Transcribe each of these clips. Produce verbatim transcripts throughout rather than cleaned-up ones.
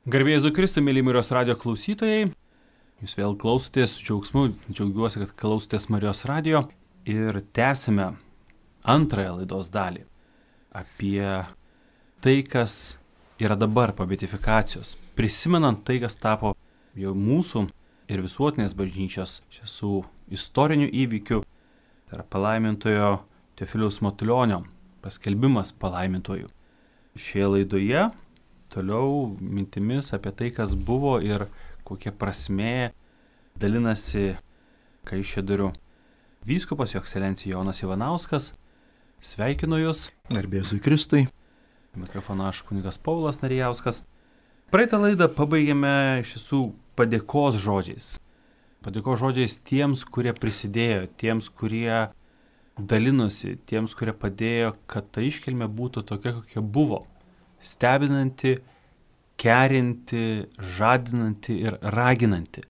Garbėjai Jėzui Kristui, mėly Marijos radijo klausytojai, jūs vėl klausotės, su džiaugsmu, džiaugiuosi, kad klausotės Marijos radijo ir tęsime antrąją laidos dalį apie tai, kas yra dabar po beatifikacijos, prisimenant tai, kas tapo jau mūsų ir visuotinės bažnyčios šių istorinių įvykių, tai yra palaimintojo Teofiliaus Matulionio paskelbimas palaimintojų. Šioje laidoje toliau mintimis apie tai, kas buvo ir kokia prasmė dalinasi Kaišiadorių vyskupas jo ekscelencija Jonas Ivanauskas. Sveikinu Jūs. Garbė Jėzui Kristui. Mikrofono aš kunigas Paulas Narijauskas. Praeitą laidą pabaigėme šių padėkos žodžiais. Padėkos žodžiais tiems, kurie prisidėjo, tiems, kurie dalinosi, tiems, kurie padėjo, kad ta iškilmė būtų tokia, kokia buvo. Stebinanti, kerinti, žadinanti ir raginanti.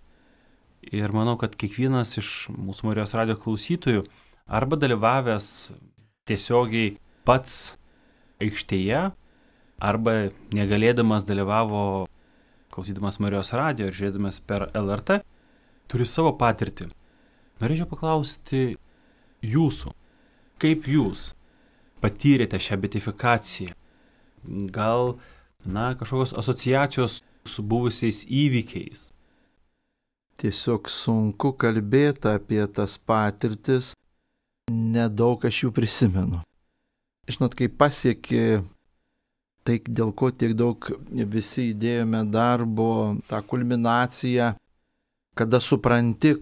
Ir manau, kad kiekvienas iš mūsų Marijos radijo klausytojų arba dalyvavęs tiesiogiai pats aikštėje, arba negalėdamas dalyvavo klausydamas Marijos radijo ir žiūrėdamas per L R T, turi savo patirtį. Norėčiau paklausti jūsų, kaip jūs patyrėte šią beatifikaciją? Gal, na, kažkokios asociacijos su buvusiais įvykiais? Tiesiog sunku kalbėti apie tas patirtis, nedaug aš jų prisimenu. Žinot, kai pasiekė tai, dėl ko tiek daug visi įdėjome darbo, tą kulminaciją, kada supranti,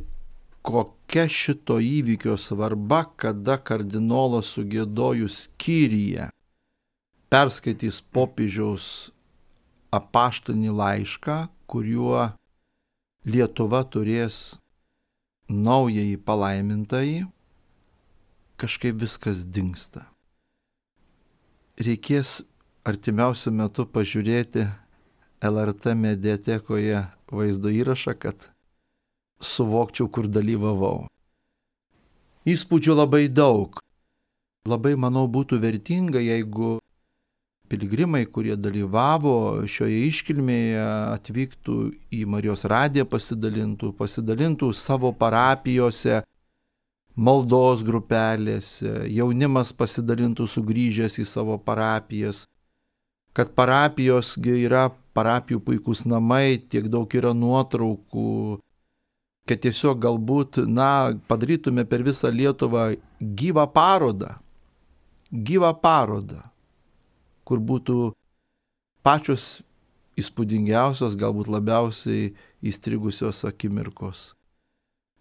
kokia šito įvykio svarba, kada kardinolas sugiedojus Kyriją perskaitys popiežiaus apaštalinį laišką, kuriuo Lietuva turės naująjį palaimintąjį, kažkaip viskas dingsta. Reikės artimiausiu metu pažiūrėti L R T mediatekoje vaizdo įrašą, kad suvokčiau, kur dalyvavau. Įspūdžių labai daug. Labai, manau, būtų vertinga, jeigu piligrimai, kurie dalyvavo šioje iškilmėje, atvyktų į Marijos radiją, pasidalintų, pasidalintų savo parapijose, maldos grupelėse, jaunimas pasidalintų sugrįžęs į savo parapijas, kad parapijos yra parapijų puikūs namai, tiek daug yra nuotraukų, kad tiesiog galbūt, na, padarytume per visą Lietuvą gyvą parodą, gyvą parodą, kur būtų pačios įspūdingiausios, galbūt labiausiai įstrigusios akimirkos,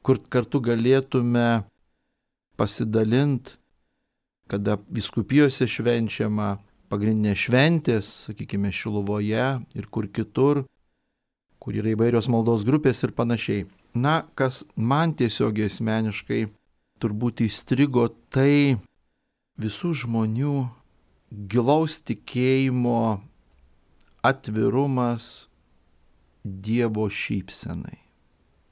kur kartu galėtume pasidalinti, kada vyskupijose švenčiama pagrindinė šventės, sakykime, Šiluvoje ir kur kitur, kur yra įvairios maldos grupės ir panašiai. Na, kas man tiesiog asmeniškai turbūt įstrigo, tai visų žmonių gilaus tikėjimo atvirumas Dievo šypsenai.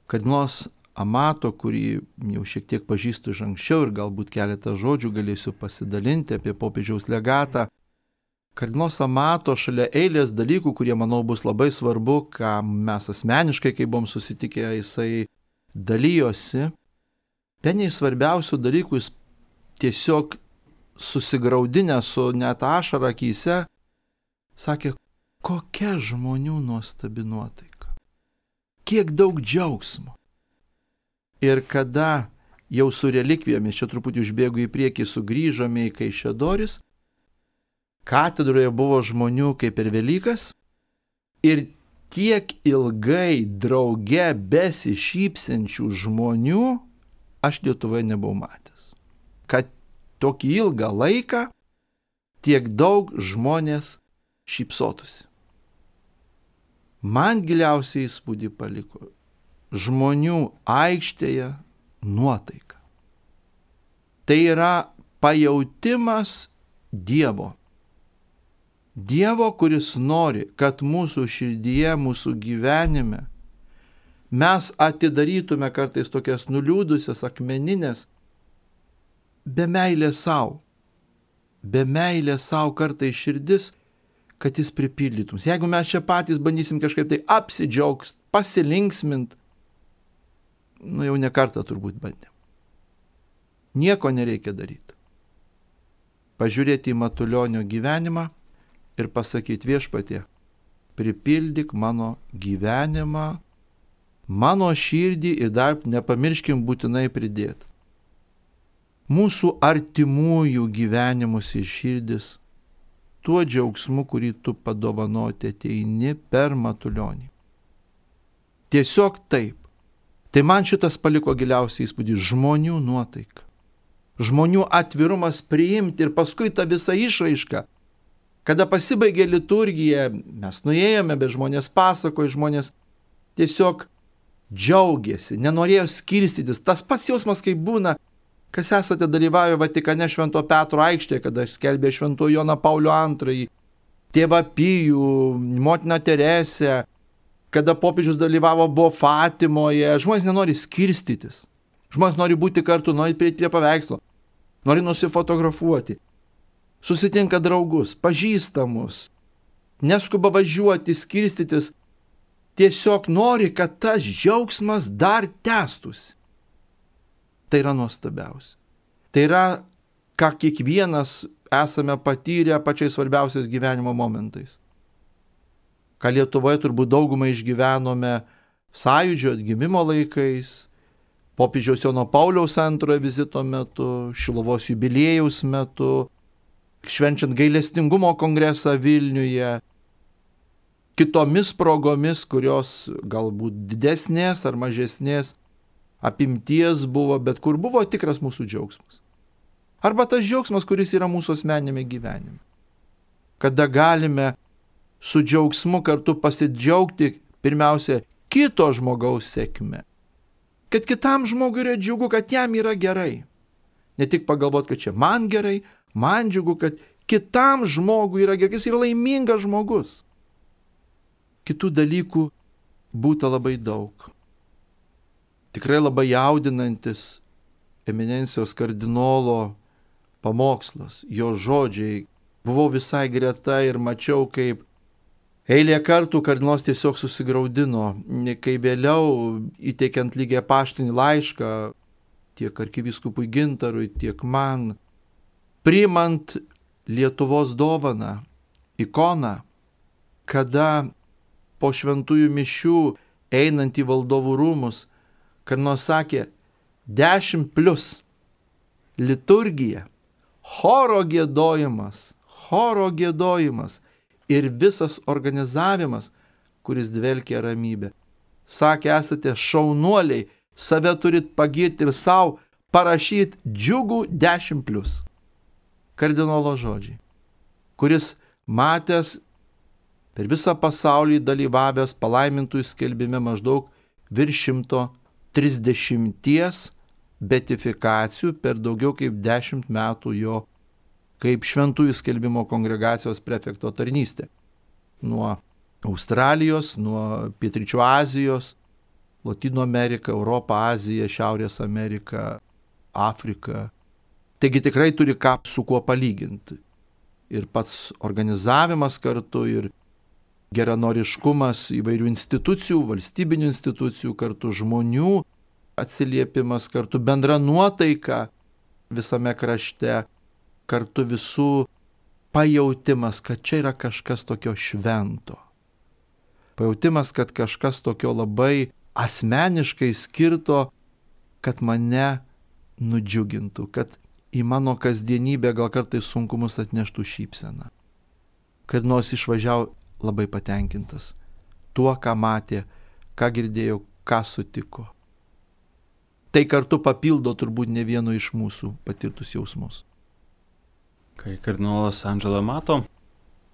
Kardinolas Amato, kurį jau šiek tiek pažįstu iš anksčiau ir galbūt keletą žodžių galėsiu pasidalinti apie popiežiaus legatą. Kardinolas Amato šalia eilės dalykų, kurie, manau, bus labai svarbu, ką mes asmeniškai, kai buvom susitikę, jisai dalyjosi. Vieni iš svarbiausių dalykų jis tiesiog susigraudinę su net ašara akyse, sakė, kokia žmonių nuostabi nuotaika, kiek daug džiaugsmo. Ir kada jau su relikvijomis, čia truputį užbėgu į priekį, sugrįžome į Kaišiadoris, katedroje buvo žmonių kaip per Velykas ir tiek ilgai drauge besišypsenčių žmonių aš Lietuvoje nebuvau matęs. Kad tokį ilgą laiką tiek daug žmonės šypsotųsi. Man giliausiai įspūdį paliko žmonių aikštėje nuotaika. Tai yra pajautimas Dievo. Dievo, kuris nori, kad mūsų širdyje, mūsų gyvenime mes atidarytume kartais tokias nuliūdusias, akmeninės, be meilės savo. Be meilės savo kartais širdis kad jis pripildytum. Jeigu mes čia patys bandysim kažkaip tai apsidžiaugti, pasilinksmint, nu jau ne kartą turbūt bandėm. Nieko nereikia daryti. Pažiūrėti į Matulionio gyvenimą ir pasakyti: Viešpatie, pripildyk mano gyvenimą, mano širdį ir dar nepamirškim būtinai pridėti mūsų artimųjų gyvenimus ir širdis tuo džiaugsmu, kurį tu padovanoti ateini per Matulionį. Tiesiog taip. Tai man šitas paliko giliausiai įspūdį - žmonių nuotaika. Žmonių atvirumas priimti ir paskui ta visa išraiška. Kada pasibaigė liturgija, mes nuėjome, bet žmonės pasakojo, žmonės tiesiog džiaugiasi, nenorėjo skirstytis. Tas pats jausmas, kaip būna, kas esate dalyvavę Vatikane Švento Petro aikštėje, kada skelbė Švento Joną Paulių antrąjį, tėvą Pijų, motiną Teresę, kada popiežius dalyvavo buvo Fatimoje. Žmonės nenori skirstytis. Žmonės nori būti kartu, nori prieiti prie paveikslo, nori nusifotografuoti. Susitinka draugus, pažįstamus, neskuba važiuoti, skirstytis. Tiesiog nori, kad tas džiaugsmas dar tęstųsi. Tai yra nuostabiausia. Tai yra, ką kiekvienas esame patyrę pačiais svarbiausiais gyvenimo momentais. Ką Lietuvoje turbūt daugumai išgyvenome Sąjūdžio atgimimo laikais, popiežiaus Jono Pauliaus antrojo vizito metu, Šiluvos jubiliejaus metu, švenčiant gailestingumo kongresą Vilniuje, kitomis progomis, kurios galbūt didesnės ar mažesnės apimties buvo, bet kur buvo tikras mūsų džiaugsmas. Arba tas džiaugsmas, kuris yra mūsų asmeniniame gyvenime. Kada galime su džiaugsmu kartu pasidžiaugti pirmiausia kito žmogaus sėkme. Kad kitam žmogui yra džiugu, kad jam yra gerai. Ne tik pagalvoti, kad čia man gerai, man džiugu, kad kitam žmogui yra gerai, jis yra laimingas žmogus. Kitų dalykų būta labai daug. Tikrai labai jaudinantis eminencijos kardinolo pamokslas, jo žodžiai. Buvau visai greta ir mačiau, kaip eilė kartų kardinolas tiesiog susigraudino, kai vėliau įteikiant lygiai paštinį laišką tiek arkivyskupui Gintarui, tiek man, priimant Lietuvos dovaną, ikoną, kada po šventųjų mišių einant į valdovų rūmus, kardinolas sakė: dešimt plus liturgija, choro giedojimas, choro giedojimas ir visas organizavimas, kuris dvelkia ramybė. Sakė, esate šaunuoliai, save turit pagirti ir savo parašyti džiugų dešimt plus. Kardinolo žodžiai, kuris matęs per visą pasaulį dalyvavęs palaimintųjų skelbime maždaug virš šimto trisdešimties beatifikacijų per daugiau kaip dešimt metų jo kaip šventųjų skelbimo kongregacijos prefekto tarnystė. Nuo Australijos, nuo Pietryčių Azijos, Lotynų Amerika, Europa, Azija, Šiaurės Amerika, Afrika. Taigi tikrai turi ką su kuo palyginti. Ir pats organizavimas kartu, ir geranoriškumas įvairių institucijų, valstybinių institucijų, kartu žmonių atsiliepimas, kartu bendra nuotaika visame krašte, kartu visų pajautimas, kad čia yra kažkas tokio švento. Pajautimas, kad kažkas tokio labai asmeniškai skirto, kad mane nudžiugintų, kad į mano kasdienybę gal kartais sunkumus atneštų šypseną. Kad nors išvažiavo labai patenkintas tuo, ką matė, ką girdėjo, ką sutiko. Tai kartu papildo turbūt ne vieno iš mūsų patirtus jausmus. Kai kardinolas Angelo Amato,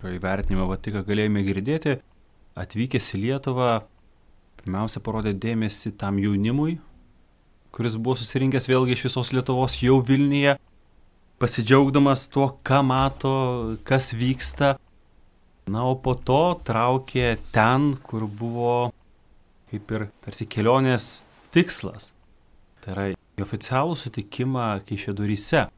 įvertinimą Vatiką galėjome girdėti, atvykęs į Lietuvą, pirmiausia parodė dėmesį tam jaunimui, kuris buvo susirinkęs vėlgi iš visos Lietuvos jau Vilniuje, pasidžiaugdamas tuo, ką mato, kas vyksta. Na, o po to traukė ten, kur buvo kaip ir tarsi kelionės tikslas. Tai yra į oficialų sutikimą Kaišiadoryse.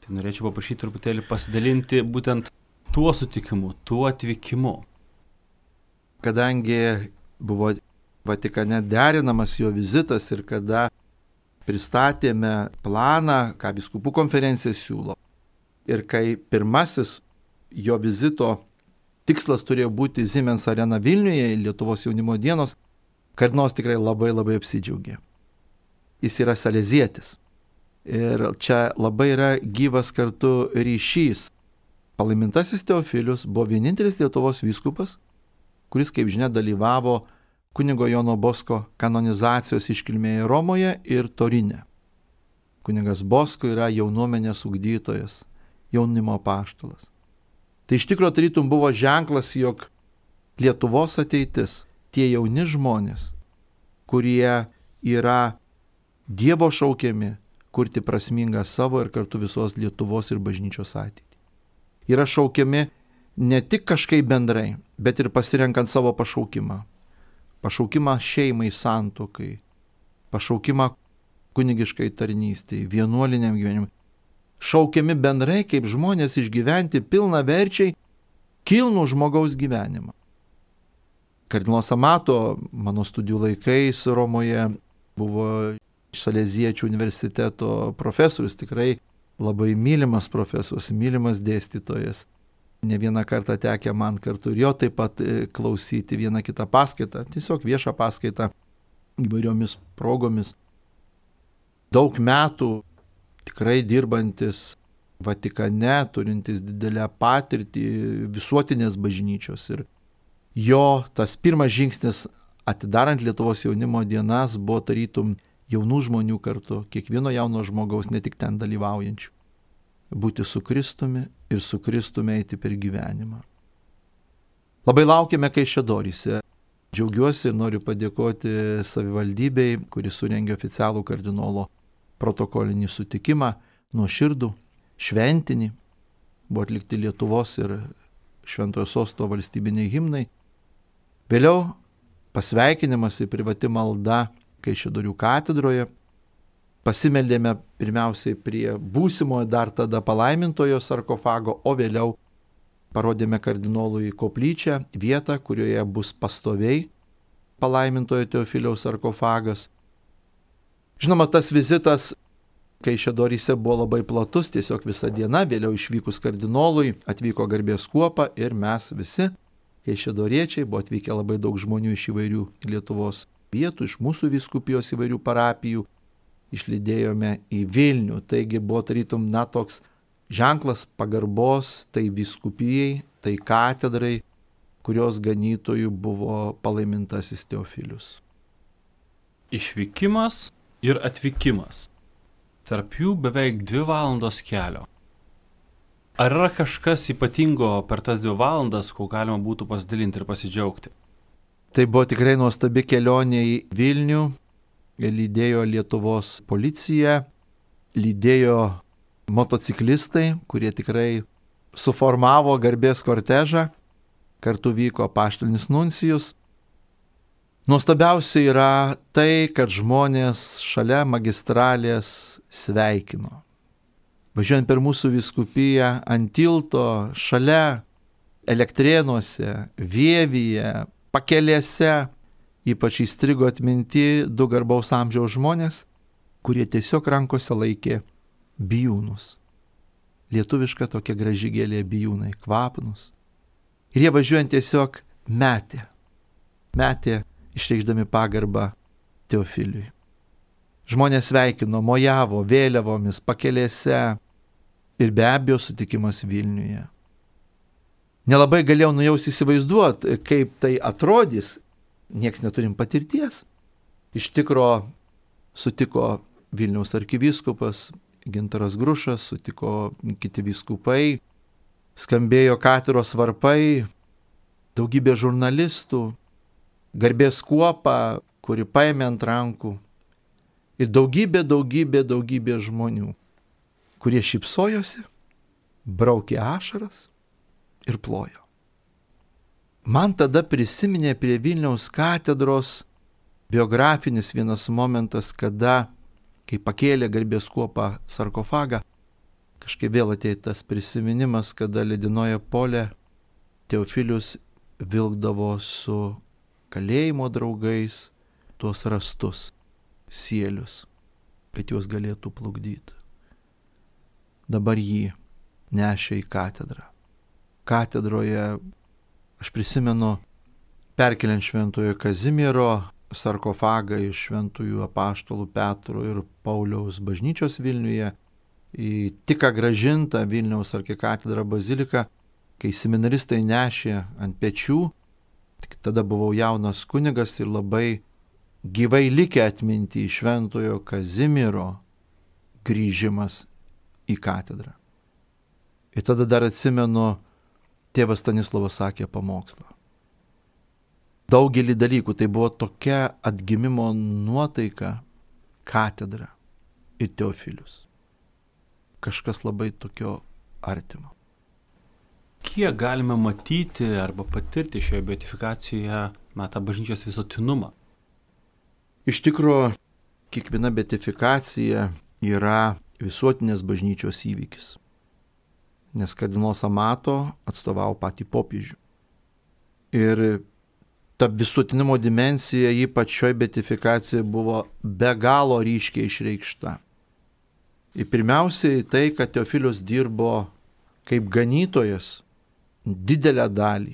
Tai norėčiau paprašyti truputėlį pasidalinti būtent tuo sutikimu, tuo atvykimu. Kadangi buvo Vatikane derinamas jo vizitas ir kada pristatėme planą, ką vyskupų konferencija siūlo, ir kai pirmasis jo vizito tikslas turėjo būti Siemens arena Vilniuje, Lietuvos jaunimo dienos, kardinolas tikrai labai labai apsidžiaugė. Jis yra salezietis. Ir čia labai yra gyvas kartu ryšys. Palaimintasis Teofilius buvo vienintelis Lietuvos vyskupas, kuris, kaip žinia, dalyvavo kunigo Jono Bosko kanonizacijos iškilmėje Romoje ir Torine. Kunigas Bosko yra jaunuomenės ugdytojas, jaunimo apaštalas. Tai iš tikrųjų tarytum buvo ženklas, jog Lietuvos ateitis, tie jauni žmonės, kurie yra Dievo šaukiami kurti prasmingą savo ir kartu visos Lietuvos ir bažnyčios ateitį. Yra šaukiami ne tik kažkaip bendrai, bet ir pasirenkant savo pašaukimą. Pašaukimą šeimai, santuokai, pašaukimą kunigiškai tarnystei, vienuoliniam gyvenimui. Šaukiami bendrai kaip žmonės išgyventi pilna verčiai kilnų žmogaus gyvenimą. Kardinolas Amato mano studijų laikais Romoje buvo Saleziečių universiteto profesorius, tikrai labai mylimas profesorius, mylimas dėstytojas. Ne vieną kartą tekę man kartu ir jo taip pat klausyti vieną kitą paskaitą, tiesiog viešą paskaitą įvairiomis progomis. Daug metų tikrai dirbantis Vatikane, turintis didelę patirtį visuotinės bažnyčios. Ir jo tas pirmas žingsnis atidarant Lietuvos jaunimo dienas buvo tarytum jaunų žmonių kartu, kiekvieno jauno žmogaus, ne tik ten dalyvaujančių. Būti su Kristumi ir su Kristumi eiti per gyvenimą. Labai laukiame Kaišiadoryse. Džiaugiuosi ir noriu padėkoti savivaldybei, kuris surengė oficialų kardinolo protokolinį sutikimą, nuoširdų, šventinį. Buvo atlikti Lietuvos ir Šventojo Sosto valstybiniai himnai. Vėliau pasveikinimas ir privati malda Kaišiadorių katedroje. Pasimeldėme pirmiausiai prie būsimojo dar tada palaimintojo sarkofago, o vėliau parodėme kardinolui koplyčią, vietą, kurioje bus pastoviai palaimintojo Teofiliaus sarkofagas. Žinoma, tas vizitas Kaišiadoryse buvo labai platus, tiesiog visa diena, vėliau išvykus kardinolui atvyko garbės kuopa ir mes visi kaišiadoriečiai, buvo atvykę labai daug žmonių iš įvairių Lietuvos vietų, iš mūsų vyskupijos įvairių parapijų, išlydėjome į Vilnių. Taigi buvo tarytum, na, toks ženklas pagarbos tai vyskupijai, tai katedrai, kurios ganytojų buvo palaimintasis Teofilius. Išvykimas ir atvykimas. Tarp jų beveik dvi valandos kelio. Ar yra kažkas ypatingo per tas dvi valandas, ko galima būtų pasidalinti ir pasidžiaugti? Tai buvo tikrai nuostabi kelionė į Vilnių, lydėjo Lietuvos policija, lydėjo motociklistai, kurie tikrai suformavo garbės kortežą, kartu vyko apaštalinis nuncijus. Nuostabiausia yra tai, kad žmonės šalia magistralės sveikino. Važiuojant per mūsų vyskupiją ant tilto, šalia Elektrėnuose, Vievyje, Pakelėse, ypač įstrigo atminti du garbaus amžiaus žmonės, kurie tiesiog rankose laikė bijūnus. Lietuviška tokia graži gėlė bijūnai, kvapnus. Ir jie važiuojant tiesiog metė, metė išreikšdami pagarbą Teofiliui. Žmonės sveikino, mojavo vėliavomis Pakelėse ir be abejo sutikimas Vilniuje. Nelabai galėjau nujausti įsivaizduoti, kaip tai atrodys, nieks neturim patirties. Iš tikro sutiko Vilniaus arkivyskupas Gintaras Grušas, sutiko kiti vyskupai, skambėjo katedros varpai, daugybė žurnalistų, garbės kuopa, kuri paėmė ant rankų ir daugybė, daugybė, daugybė žmonių, kurie šypsojosi, braukė ašaras ir plojo. Man tada prisiminė prie Vilniaus katedros biografinis vienas momentas, kada, kai pakėlė garbės kuopą sarkofagą, kažkaip vėl atėjo tas prisiminimas, kada ledinoje pole Teofilius vilkdavo su kalėjimo draugais tuos rastus, sielius, kad juos galėtų plukdyti. Dabar jį nešė į katedrą. Katedroje, aš prisimenu, perkeliant Šventojo Kazimiero sarkofagą iš Šventųjų apaštalų Petro ir Pauliaus bažnyčios Vilniuje į tik ką grąžintą Vilniaus arkikatedrą baziliką, kai seminaristai nešė ant pečių, tik tada buvau jaunas kunigas ir labai gyvai likę atminti Šventojo Kazimiero grįžimas į katedrą. Ir tada dar atsimenu, tėvas Stanislovas sakė pamokslą. Daugelį dalykų, tai buvo tokia atgimimo nuotaika, katedra ir Teofilius. Kažkas labai tokio artimo. Kiek galime matyti arba patirti šioje beatifikacijoje, na, tą bažnyčios visuotinumą? Iš tikrųjų, kiekviena beatifikacija yra visuotinės bažnyčios įvykis, nes kardinolas Amato atstovavo patį popiežių. Ir ta visuotinumo dimensija ypač šioje beatifikacijoje buvo be galo ryškiai išreikšta. Ir pirmiausiai tai, kad Teofilius dirbo kaip ganytojas didelę dalį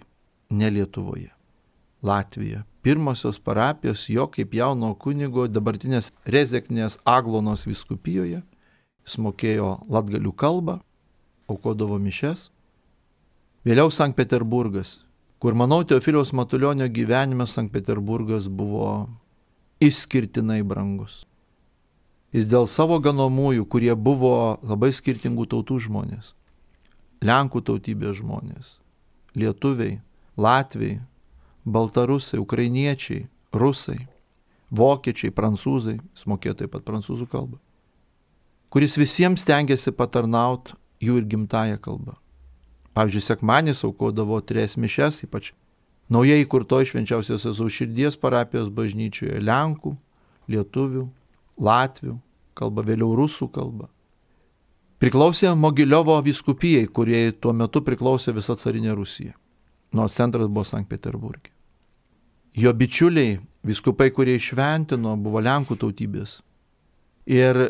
ne Lietuvoje, Latvija. Pirmosios parapijos jo kaip jauno kunigo dabartinės Rezeknės Aglonos vyskupijoje. Jis mokėjo latgalių kalbą, aukodavo mišes. Vėliau Sankt Peterburgas, kur, manau, Teofiliaus Matulionio gyvenime Sankt Peterburgas buvo išskirtinai brangus. Jis dėl savo ganomųjų, kurie buvo labai skirtingų tautų žmonės, Lenkų tautybės žmonės, lietuviai, latviai, baltarusai, ukrainiečiai, rusai, vokiečiai, prancūzai, jis mokėjo taip pat prancūzų kalbą, kuris visiems stengiasi patarnauti jų ir gimtąją kalbą. Pavyzdžiui, sekmadienis aukodavo tris mišes, ypač naujai įkurtoj Švenčiausios Jėzaus Širdies parapijos bažnyčioje, lenkų, lietuvių, latvių kalba, vėliau rusų kalba. Priklausė Mogiliovo vyskupijai, kurie tuo metu priklausė visa carinė Rusija, nors centras buvo Sankt Peterburge. Jo bičiuliai, vyskupai, kurie išventino, buvo lenkų tautybės. Ir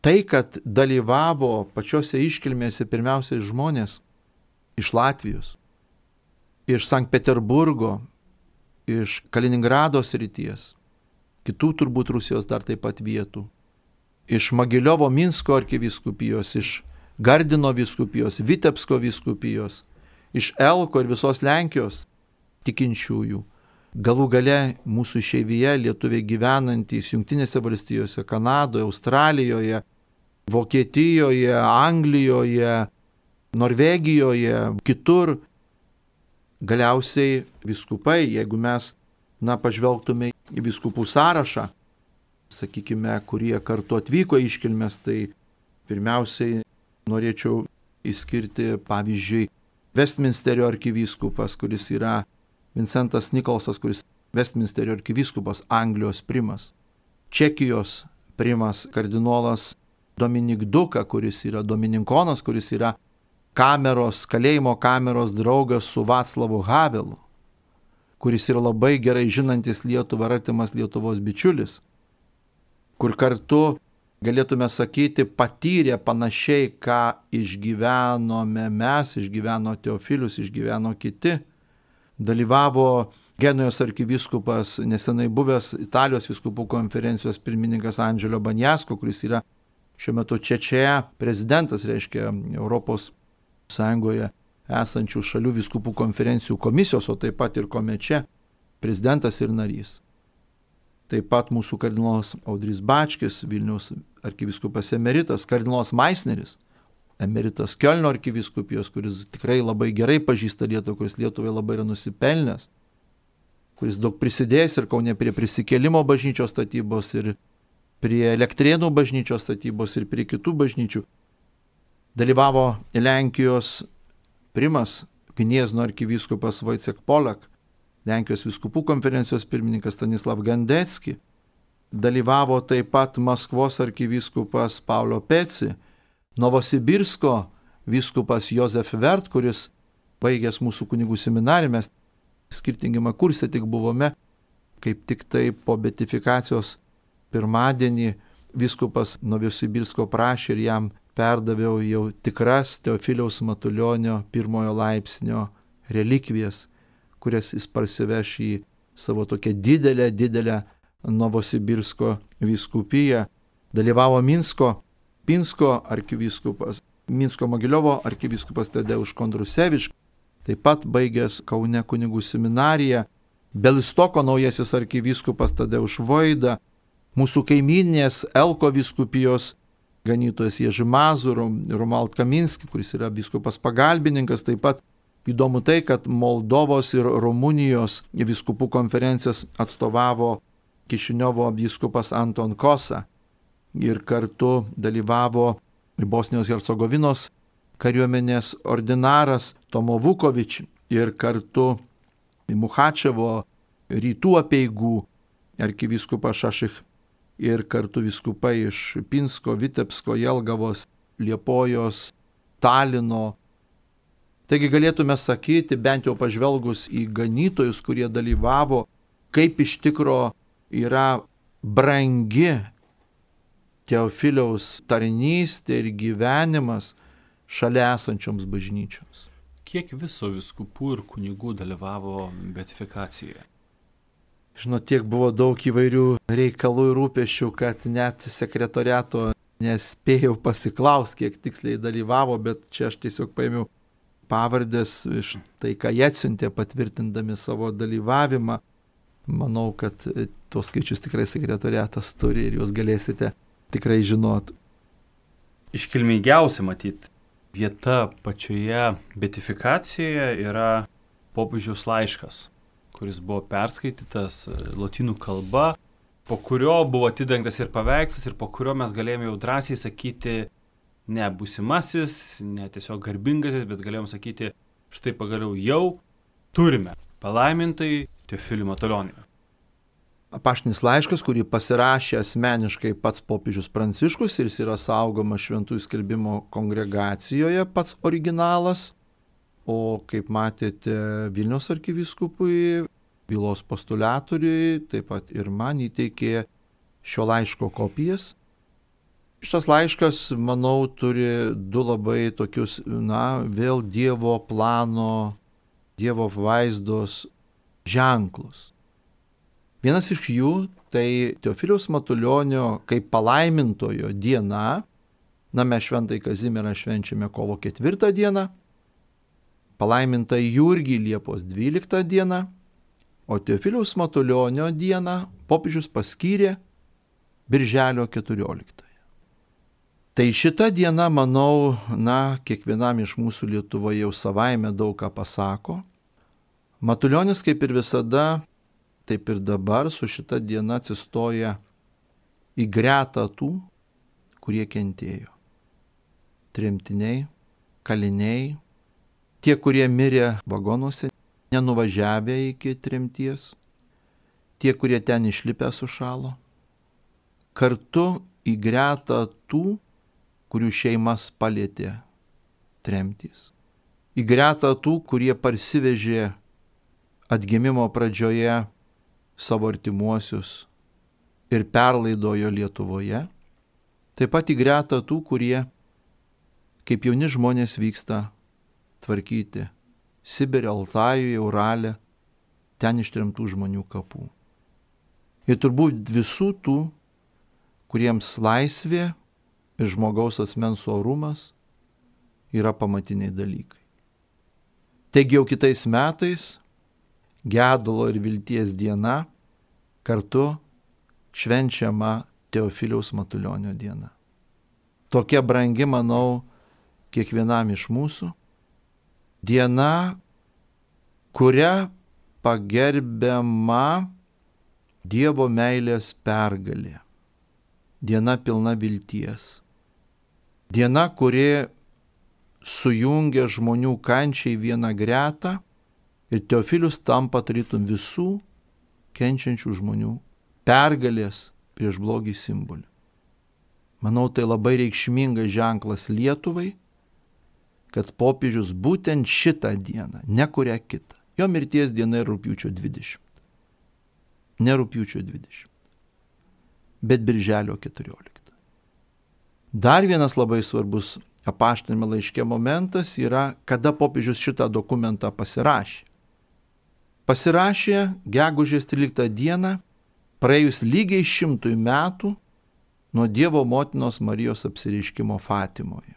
tai, kad dalyvavo pačiose iškilmėse pirmiausiai žmonės iš Latvijos, iš Sankt Peterburgo, iš Kaliningrado srities, kitų turbūt Rusijos dar taip pat vietų, iš Mogiliovo Minsko arkivyskupijos, iš Gardino vyskupijos, Vitebsko vyskupijos, iš Elko ir visos Lenkijos tikinčiųjų. Galų gale mūsų išeivyje lietuviai gyvenantys Jungtinėse valstijose, Kanadoje, Australijoje, Vokietijoje, Anglijoje, Norvegijoje, kitur. Galiausiai vyskupai, jeigu mes, na, pažvelgtume į vyskupų sąrašą, sakykime, kurie kartu atvyko iškilmės, tai pirmiausiai norėčiau išskirti, pavyzdžiui, Westminsterio arkivyskupas, kuris yra Vincentas Nikolsas, kuris Westminsterio arkivyskupas, Anglijos primas. Čekijos primas kardinolas Dominik Duka, kuris yra domininkonas, kuris yra kameros, kalėjimo kameros draugas su Vaclavu Havelu, kuris yra labai gerai žinantis Lietuvą, artimas Lietuvos bičiulis, kur kartu, galėtume sakyti, patyrė panašiai, ką išgyvenome mes, išgyveno Teofilius, išgyveno kiti. Dalyvavo Genujos arkivyskupas, nesenai buvęs Italijos vyskupų konferencijos pirmininkas Andželio Banjasko, kuris yra šiuo metu Čečėje prezidentas, reiškia Europos Sąjungoje esančių šalių vyskupų konferencijų komisijos, o taip pat ir Komeče prezidentas ir narys. Taip pat mūsų kardinolas Audrys Bačkis, Vilniaus arkivyskupas emeritas, kardinolas Maisneris, emeritas Kiolno arkivyskupijos, kuris tikrai labai gerai pažįsta Lietuvą, kuris Lietuvai labai yra nusipelnęs, kuris daug prisidėjęs ir Kaune prie prisikėlimo bažnyčios statybos, ir prie Elektrėnų bažnyčios statybos, ir prie kitų bažnyčių. Dalyvavo Lenkijos primas, Gniezno arkivyskupas Wojciech Polak, Lenkijos vyskupų konferencijos pirmininkas Stanislav Gandecki, dalyvavo taip pat Maskvos arkivyskupas Paulo Peci, Novosibirsko vyskupas Jozef Vert, kuris baigęs mūsų kunigų seminariją, mes skirtingame kurse tik buvome, kaip tik tai po beatifikacijos pirmadienį vyskupas Novosibirsko prašė ir jam perdaviau jau tikras Teofiliaus Matulionio pirmojo laipsnio relikvijas, kurias jis parsiveš į savo tokią didelę, didelę Novosibirsko vyskupiją. Dalyvavo Minsko, Pinsko arkivyskupas, Minsko Mogiliovo arkivyskupas Tadeuš Kondrusevič, taip pat baigęs Kaune kunigų seminariją, Belistoko naujasis arkivyskupas Tadeuš Voida, mūsų kaiminės Elko vyskupijos ganytojas Ježi Mazur, Romuald Kaminski, kuris yra vyskupas pagalbininkas, taip pat įdomu tai, kad Moldovos ir Rumunijos vyskupų konferencijas atstovavo Kišiniovo vyskupas Anton Kosa ir kartu dalyvavo Bosnijos Hercegovinos kariuomenės ordinaras Tomo Vukovič ir kartu Muchačevo rytų apeigų arkivyskupas Šašich ir kartu vyskupai iš Pinsko, Vitebsko, Jelgavos, Liepojos, Talino. Taigi galėtume sakyti, bent jau pažvelgus į ganytojus, kurie dalyvavo, kaip iš tikro yra brangi Teofiliaus tarnystė ir gyvenimas šalia esančioms bažnyčioms. Kiek viso vyskupų ir kunigų dalyvavo beatifikacijoje? Žinot, tiek buvo daug įvairių reikalų ir rūpesčių, kad net sekretoriato nespėjau pasiklausti, kiek tiksliai dalyvavo, bet čia aš tiesiog paėmiau pavardės iš tai, ką jie atsiuntė patvirtindami savo dalyvavimą. Manau, kad tuos skaičius tikrai sekretoriatas turi ir jūs galėsite tikrai žinot. Iškilmingiausia matyti vieta pačioje beatifikacijoje yra popiežiaus laiškas, kuris buvo perskaitytas lotynų kalba, po kurio buvo atidengtas ir paveikslas ir po kurio mes galėjome jau drąsiai sakyti ne būsimasis, ne tiesiog garbingasis, bet galėjome sakyti, štai pagaliau jau turime palaimintai Teofilių Matulionį. Apaštinis laiškas, kurį pasirašė asmeniškai pats popiežius Pranciškus ir jis yra saugomas Šventųjų skelbimo kongregacijoje, pats originalas, o kaip matėte Vilniaus arkivyskupui, bylos postuliatoriui, taip pat ir man įteikė šio laiško kopijas. Šitas laiškas, manau, turi du labai tokius, na, vėl Dievo plano, Dievo vaizdos ženklus. Vienas iš jų tai Teofiliaus Matulionio kaip palaimintojo diena. Na, mes Šventąjį Kazimierą švenčiame kovo ketvirtą dieną, palaimintą Jurgį Liepos dvyliktą dieną, o Teofiliaus Matulionio dieną popiežius paskyrė Birželio keturioliktąją. Tai šita diena, manau, na, kiekvienam iš mūsų Lietuvoje jau savaime daug ką pasako. Matulionis kaip ir visada, taip ir dabar su šita diena atsistoja į gretą tų, kurie kentėjo. Tremtiniai, kaliniai, tie, kurie mirė vagonuose, nenuvažiavę iki tremties, tie, kurie ten išlipę sušalo. Kartu į gretą tų, kurių šeimas palėtė tremtys. Į gretą tų, kurie parsivežė atgimimo pradžioje savo artimuosius ir perlaidojo Lietuvoje. Taip pat į gretą tų, kurie kaip jauni žmonės vyksta tvarkyti Sibire, Altajuje, Urale, ten ištremtų žmonių kapų. Ir turbūt visų tų, kuriems laisvė ir žmogaus asmens orumas yra pamatiniai dalykai. Taigi jau kitais metais gedulo ir vilties diena kartu švenčiama Teofiliaus Matulionio diena. Tokia brangi, manau, kiekvienam iš mūsų. Diena, kuria pagerbiama Dievo meilės pergalė. Diena pilna vilties. Diena, kuri sujungia žmonių kančiai vieną gretą ir Teofilius tampa tarytum visų kenčiančių žmonių pergalės prieš blogį simboliu. Manau, tai labai reikšmingas ženklas Lietuvai, kad popiežius būtent šitą dieną, ne kurią kitą. Jo mirties diena yra rugpjūčio dvidešimt. Ne rugpjūčio dvidešimt, bet birželio keturiolikta. Dar vienas labai svarbus apaštalinimo laiške momentas yra, kada popiežius šitą dokumentą pasirašė. Pasirašė gegužės tryliktą dieną, praėjus lygiai šimtui metų nuo Dievo motinos Marijos apsireiškimo Fatimoje.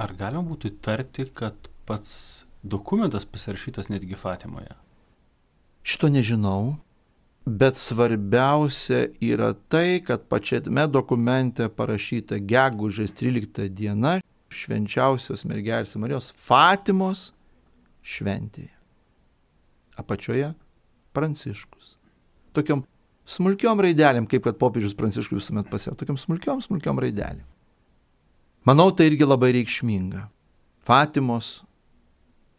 Ar galima būtų įtarti, kad pats dokumentas pasirašytas netgi Fatimoje? Šito nežinau, bet svarbiausia yra tai, kad pačiame dokumente parašyta gegužės trylikta diena švenčiausios mergelės Marijos Fatimos šventėje. Apačioje Pranciškus. Tokiom smulkiom raidelėm, kaip kad popiežius Pranciškus visuomet pasėjo, tokiom smulkiom, smulkiom raidelėm. Manau, tai irgi labai reikšminga. Fatimos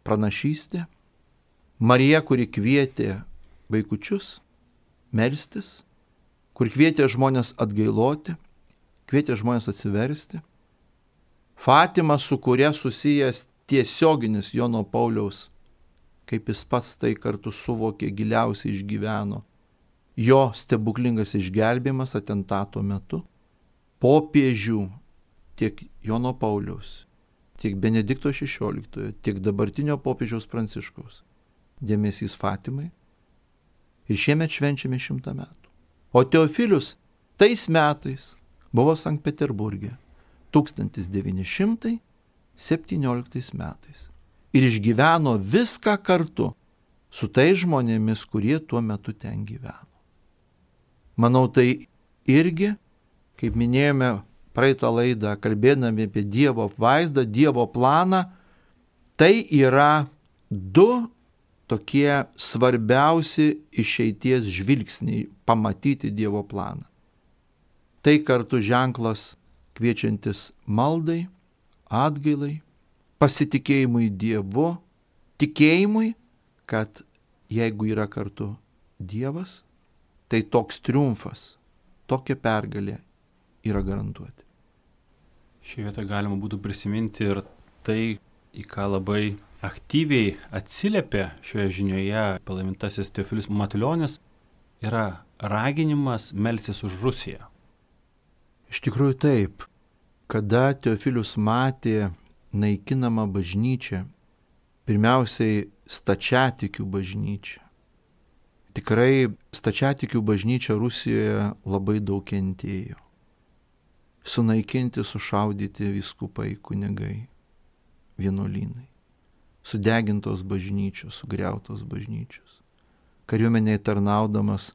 pranašystė, Marija, kuri kvietė vaikučius melstis, kur kvietė žmonės atgailoti, kvietė žmonės atsiversti. Fatima, su kuria susijęs tiesioginis Jono Pauliaus, kaip jis pats tai kartu suvokė, giliausiai išgyveno, jo stebuklingas išgelbėjimas atentato metu, popiežių tiek Jono Pauliaus, tiek Benedikto šešioliktojo, tiek dabartinio popiežiaus Pranciškaus dėmesys Fatimai. Ir šiemet švenčiame šimtą metų. O Teofilius tais metais buvo Sankt Peterburge tūkstantis devyni šimtai septynioliktais metais. Ir išgyveno viską kartu su tais žmonėmis, kurie tuo metu ten gyveno. Manau, tai irgi, kaip minėjome praeitą laidą, kalbėdami apie Dievo apvaizdą, Dievo planą, tai yra du tokie svarbiausi išeities žvilgsniai pamatyti Dievo planą. Tai kartu ženklas kviečiantis maldai, atgailai, pasitikėjimui Dievu, tikėjimui, kad jeigu yra kartu Dievas, tai toks triumfas, tokia pergalė yra garantuoti. Šį vietą galima būtų prisiminti ir tai, į ką labai aktyviai atsiliepė šioje žinioje palaimintasis Teofilius Matulionis, yra raginimas melstis už Rusiją. Iš tikrųjų taip, kada Teofilius matė naikinamą bažnyčią, pirmiausiai stačiatikių bažnyčią. Tikrai stačiatikių bažnyčia Rusijoje labai daug kentėjo. Sunaikinti, sušaudyti vyskupai, kunigai, vienuolynai. Sudegintos bažnyčios, sugriautos bažnyčios. Kariuomeniai tarnaudamas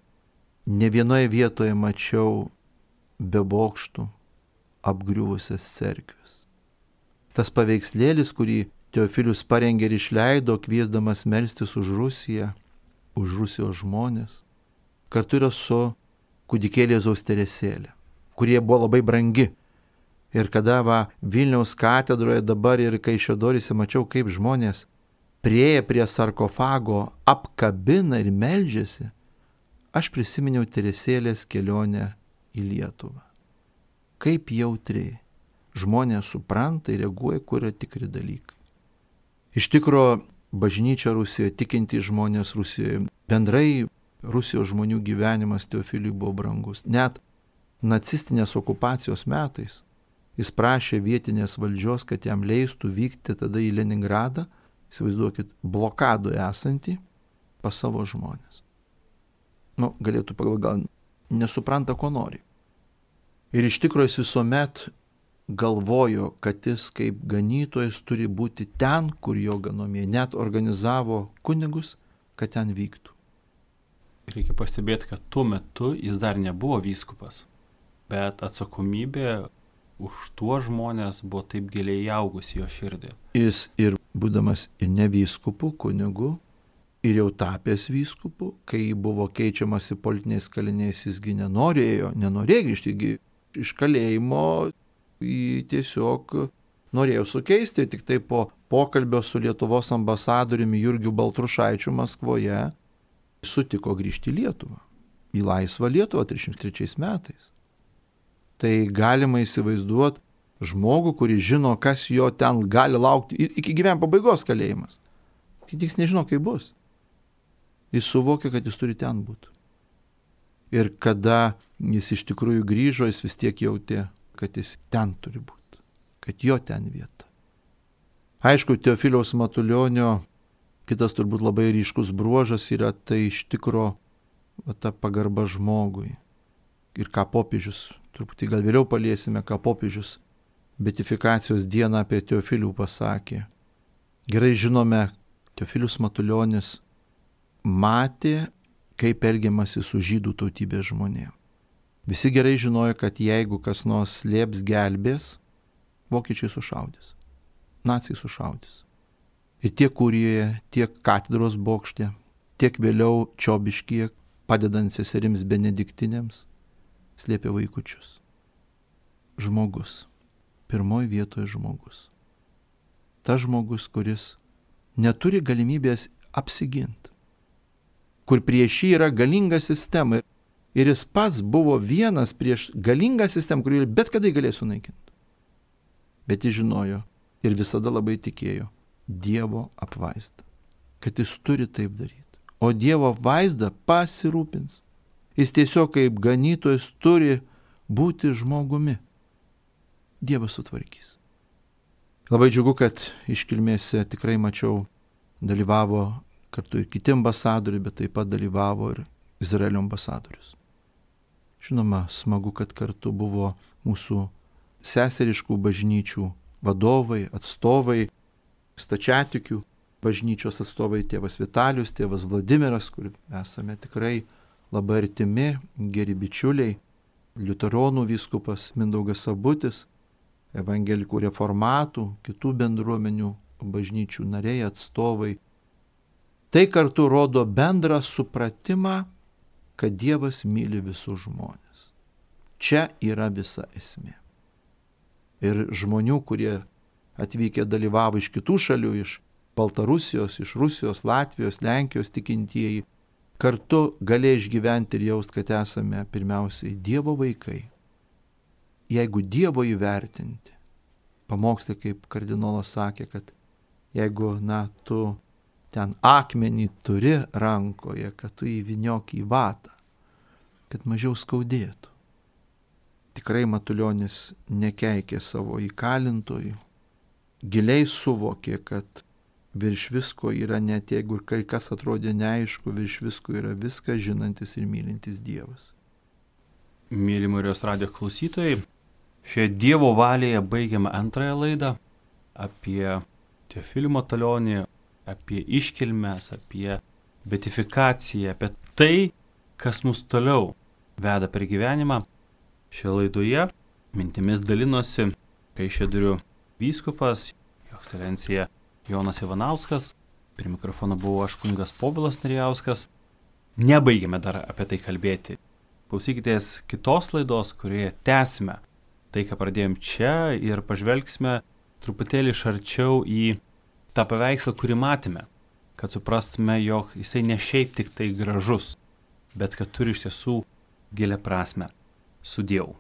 ne vienoje vietoje mačiau be bokštų apgriuvusias cerkves. Tas paveikslėlis, kurį Teofilius parengė ir išleido, kviesdamas melstis už Rusiją, už Rusijos žmonės, kartu yra su kūdikėlė Jėzaus Teresėlė, kurie buvo labai brangi. Ir kada va, Vilniaus katedroje dabar ir Kaišiadoryse mačiau, kaip žmonės prieėję prie sarkofago apkabina ir meldžiasi, aš prisiminiau Teresėlės kelionę į Lietuvą. Kaip jautriai žmonės supranta ir reaguoja, kur yra tikri dalykai. Iš tikro, bažnyčia Rusijoje, tikintys žmonės Rusijoje, bendrai Rusijos žmonių gyvenimas Teofiliui buvo brangus. Net nacistinės okupacijos metais jis prašė vietinės valdžios, kad jam leistų vykti tada į Leningradą, įsivaizduokit, blokadoje esantį pas savo žmonės. Nu, galėtų pagal gal nesupranta, ko nori. Ir iš tikrųjų jis visuomet galvojo, kad jis kaip ganytojas turi būti ten, kur jo ganomieji. Net organizavo kunigus, kad ten vyktų. Reikia pastebėti, kad tuo metu jis dar nebuvo vyskupas, bet atsakomybė už tuo žmonės buvo taip giliai įaugusi jo širdį. Jis ir būdamas ir ne vyskupu, kunigu, ir jau tapęs vyskupu, kai buvo keičiamasi politiniais kaliniais, jisgi nenorėjo, nenorėjo grįžti iš kalėjimo, jį tiesiog norėjo sukeisti, tik tai po pokalbio su Lietuvos ambasadoriumi Jurgiu Baltrušaičiu Maskvoje sutiko grįžti į Lietuvą, į laisvą Lietuvą trisdešimt trečiais metais. Tai galima įsivaizduoti žmogų, kuris žino, kas jo ten gali laukti iki gyvenimo pabaigos kalėjimas. Tik jis nežino, kaip bus. Jis suvokia, kad jis turi ten būti. Ir kada jis iš tikrųjų grįžo, jis vis tiek jautė, kad jis ten turi būti, kad jo ten vieta. Aišku, Teofiliaus Matulionio kitas turbūt labai ryškus bruožas yra tai iš tikro va, ta pagarba žmogui. Ir ką popiežius, truputį gal vėliau paliesime, ką popiežius beatifikacijos dieną apie Teofilių pasakė. Gerai žinome, Teofilius Matulionis matė, kaip elgiamasi su žydų tautybės žmonėm. Visi gerai žinojo, kad jeigu kas nors slėps gelbės, vokiečiai sušaudys, naciai sušaudys. Ir tiek Kurijoje, tiek katedros bokšte, tiek vėliau Čiobiškyje, padedant seserims benediktinėms, slėpė vaikučius. Žmogus. Pirmoji vietoje žmogus. Tas žmogus, kuris neturi galimybės apsiginti. Kur prieš jį yra galinga sistema. Ir jis pats buvo vienas prieš galingą sistemą, kurį bet kada galės sunaikinti. Bet jis žinojo ir visada labai tikėjo Dievo apvaizdą. Kad jis turi taip daryti. O Dievo apvaizda pasirūpins. Jis tiesiog kaip ganytojas turi būti žmogumi. Dievas sutvarkys. Labai džiugu, kad iškilmėse tikrai mačiau, dalyvavo kartu ir kiti ambasadoriai, bet taip pat dalyvavo ir Izraelio ambasadorius. Žinoma, smagu, kad kartu buvo mūsų seseriškų bažnyčių vadovai, atstovai, stačiatikių bažnyčios atstovai, tėvas Vitalijus, tėvas Vladimiras, kur esame tikrai labai artimi, geri bičiuliai, liuteronų vyskupas Mindaugas Sabutis, evangelikų reformatų, kitų bendruomenių bažnyčių nariai, atstovai. Tai kartu rodo bendrą supratimą, kad Dievas myli visus žmonės. Čia yra visa esmė. Ir žmonių, kurie atvykę dalyvavo iš kitų šalių, iš Baltarusijos, iš Rusijos, Latvijos, Lenkijos tikintieji, kartu galėjo išgyventi ir jaust, kad esame pirmiausiai Dievo vaikai. Jeigu Dievo įvertinti, pamokslai, kaip kardinolas sakė, kad jeigu, na, tu ten akmenį turi rankoje, kad tu įvyniok į vatą, kad mažiau skaudėtų. Tikrai Matulionis nekeikė savo įkalintojų, giliai suvokė, kad virš visko yra, net jeigu ir kai kas atrodė neaišku, virš visko yra viską žinantis ir mylintis Dievas. Mėly Marijos radijo klausytojai, šioje Dievo valėje baigiame antrąją laidą apie Teofilių Matulionį, apie iškilmes, apie beatifikaciją, apie tai, kas mus toliau veda per gyvenimą. Šioje laidoje mintimis dalinosi Kaišiadorių vyskupas, jo ekscelencija Jonas Ivanauskas, prie mikrofono buvau aš kunigas Povilas Narijauskas. Nebaigėme dar apie tai kalbėti. Klausykitės kitos laidos, kurioje tęsime tai, ką pradėjom čia ir pažvelgsime truputėlį iš arčiau į tą paveikslą, kurį matėme, kad suprastume, jog jisai ne šiaip tik tai gražus, bet kad turi iš tiesų gilią prasmę. Sudieu.